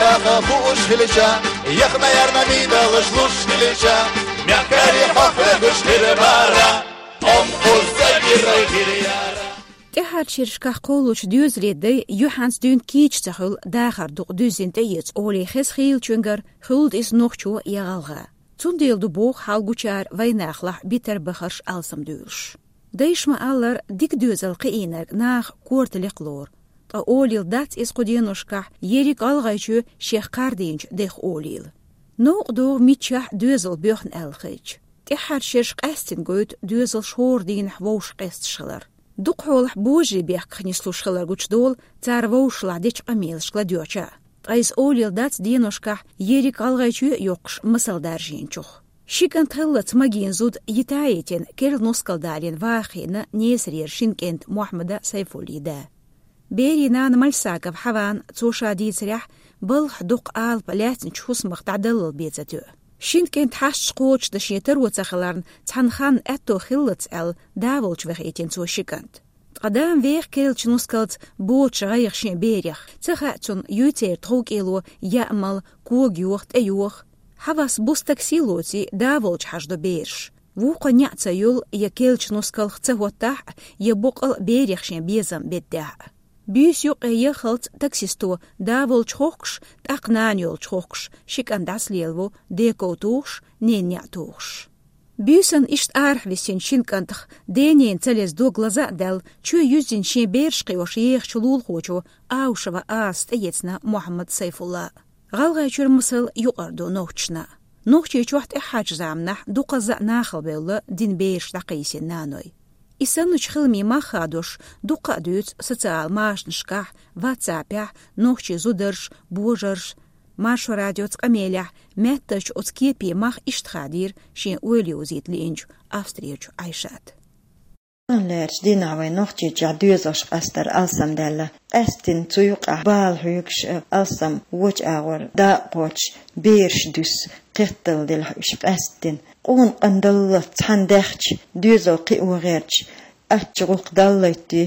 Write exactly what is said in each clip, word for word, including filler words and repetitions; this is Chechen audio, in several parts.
Даха бууш хилча, яхна ярна мидалаш луш хилча, мягкари хохрагуш хирбара, ом куза гирой хирьяра. ТӀехьарча шерашкахь кхоллучу доьзале дай юьхьанца дуьйна кийча ца хуьлу, дахар дукха дуьззина тӀеэца олий хеза хийлачуьнгара, хуьлда иза нохчо я гӀалгӀа. Цундела ду боху хьал гучара вайнахалахь битар бахарш алсамдуьйлуш. Дайша ма-аллара, дика доьзал кхиийнарг наха корта лекха лору. Ткъа олийла дац иза кху деношкахь ерриг ГӀалгӀайчоь шех кхардийначу дех олийла. Новкъа догӀу миччахь доьзал боьхна аьлла хилча. ТӀехьарча шераш къаьстина гойту доьзалш хӀора дийнахь вовшах къесташ хилар. Дукха хьолахь божарий бехках нислуш хилар гучудолу цара вовшашлахь дечу къамелашка ладоьгӀча а. Ткъа иза олийла дац деношкахь ерриг ГӀалгӀайчоь а йоккхуш масал даржийначух. Ши кӀант хиллалц магийна зуда йита а йитина, керла нускал далийна ваха хиъна Несарера шина кӀентан Мохьмадан Сайфуллин да. Берийн нана Мальсагова Хьаван, цо ша дийцарехь, балхахь доккха алапа лаьцначу хӀусамах дӀадаллал бен ца тоьу. Шина кӀентан хьашташ кхочушдан шен таро ца хиларна, цхьана ханна аьтто хиллалц аьлла, да волчу вахийтина цо ши кӀант. Ткъа дама веха керлачу нускалца боцуш гӀайгӀа шен берех. Ца хаьа цунна, юй церан тховкӀело яа мала, кога йоха, тӀе йоха. Хьавас буса такси лоций, да волчу хьажадо бераш. Вукхо неӀ ца йолу, я керлачу нускалх ца хӀоттахь а, я боккъал а берех шен безам беддехь а. Буьйса юккъе яххалц таксисто да волчу хохкуш, тӀаккха нана йолчу хохкуш, ши кӀант дӀасалелаво, ден ков тухуш, ненан неӀ тухуш. Буьйсанна иштта арахь висинчу шина кӀантах ден-ненан ца леза дог лаза а даьлла, чоь юьззина шен бераш кхиош ехачу лулахочо Аушева Асас тӀеэцна Мохьмад Сайфулла. ГӀалгӀайчуьра масал юкъара ду нохчашна. Нохчийчохь тӀаьххьарчу заманахь дукхазза а нахала бевлла дина бераш дӀакхийсина наной. И санначу хиламийн мах хадош дуккха а дуьйцу социал машанашкахь, ватсапехь, нохчийн зударша, божарша. Маршо радиоца къамелехь меттачу оцу кепийн мах иштта хадийра шен ойла йовзийта лиъначу Австрерчу Ӏайшата. Лерчу дийнахь вайн Нохчийчохь доьзалш къастар алсамдаьлла. Къаьсттина цу юкъахь бала хьоьгуш, алсам вочу агӀор дакъа кхочуш, бераш дуьсу, кхетталла делахь уьш къаьсттина. Къона къандаллалц цхьаьна даьхча, доьзал кхио гӀерташ, ачча гӀуллакх даллайтти,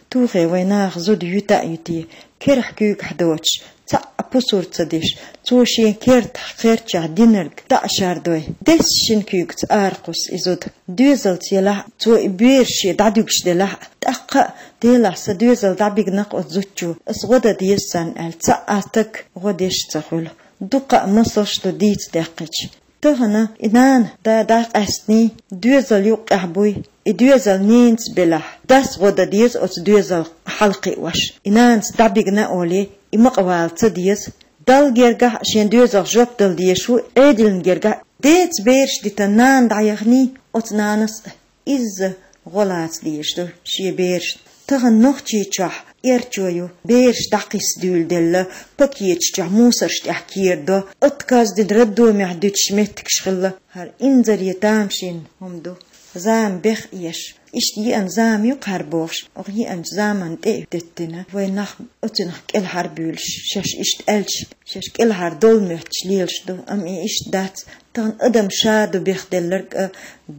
тухе вайн наха зуда юьта а юьти, керахь куьйгахь доцуш, цхьаъ а пусар ца деш, цо шен кертахь, кхерчахь динарг дӀа а шардой, десса шина куьйгаца аракхуссу и зуда. Доьзалца елахь а, цо и бераш шен дӀадуьгуш делахь а, тӀаккха а, делахь сан доьзал дӀабигна-кх оцу зудчо, ас гӀо дан деза царна аьлла, цхьа а стаг гӀо деш ца хуьлу. Дуккха а масалш ду дийца даьккхича. Тахана и нана да дӀакъаьстиний, доьзал юккъехь буй, и доьзал ненаца белахь, дас гӀо дан деза оцу доьзал хьалакхиош. И нанас дӀабигна а олий, и ма къавала ца деза. Далла гергахь а шен доьзалх жоп дала дезаш ву, Ӏедална гергахь а. Деца бераш дитан нана дӀаяханий, оцу нанас а изза гӀо лаца дезаш ду шен берашна. Тахана Нохчийчохь эрчо ю, бераш дӀакхисса дуьйладелла, пакеташ чохь мусарш тӀехь керадо, отказ дина роддомехь дуьтуш меттигаш хилла. ХӀара инзаре тамашийна хӀума ду. Зама беха еш. Иштта еана зама ю-кх хӀара бохуш, оха еанчу заманна тӀе а деттина, вайн нах оцунах кӀелхьарбуьйлуш, шаьш иштта аьлча, шаьш кӀелхьардовла моьттуш лелаш ду, амма и иштта дац. Тахана адам ша ду бехделларг а,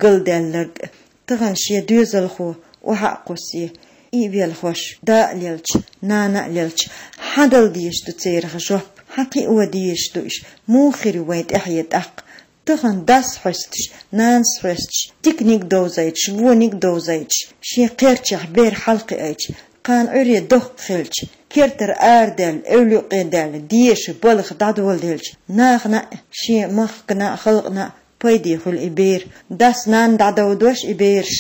галдаьлларг а. Тахана шен доьзалхо охьа а кхуссий, и а велхош, да а лелча, нана а лелча, хьан дала дезаш ду церах жоп, хьан кхио дезаш ду уьш, муха хир ю вайн тӀаьхье тӀаккха? Тахана дас хьоьстуш, нанас хьоьстуш, диканиг довзуьйтуш, вониг довзуьйтуш, шен кхерчахь бер хьалакхиуьйтуш, кхана Ӏуьйре доккха хилча, кертара арадаьлла, эвла юккъе даьлла, деша балха дӀадоладелча, нахана а, шен махкана а, халкъана а пайде хуьлу и бер. Дас-нана дӀадовдош и бераш.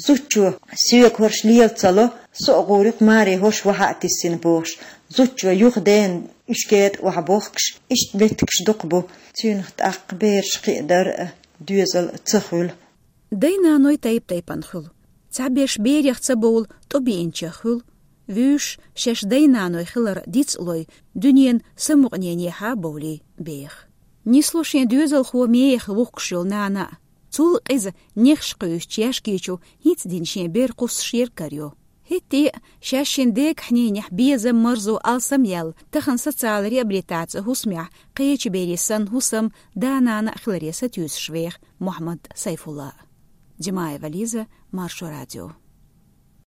Зудчо соьга хӀорш лела ца ло, со а гӀур ю-кх, маре хӀорш вахьа а тиссина бохуш. Зудчо юха дена уьш кетӀа охьабохкуш, иштта меттигаш дукха бу. Цуьнах тӀаккха бераш кхиадар а, доьзал а ца хуьлу. Дай-наной тайп-тайпана хуьлу. Цхьаберш берех ца бовла тӀобеанчех хуьлу. Вуьйш шаьш дай-наной хилар дицлой, дуьненан самукъаненехьа бовлий беха. Нисло шен доьзалхо мехах вухкуш йолу нана а. Цул къиза нехаш кхуьйсучу яьшки чу хӀинца дина шен бер кхуссуш ерг карайо. ХӀетте а шаьш шина дегахь-ненехь безам, марзо алсам яьлла, тахана социалан реабилитацин хӀусамехь кхечу берийн санна хӀусам, да-нана а хиларе сатуьйсуш веха Мохьмад Сайфулла. Димаева Лиза, Маршо радио.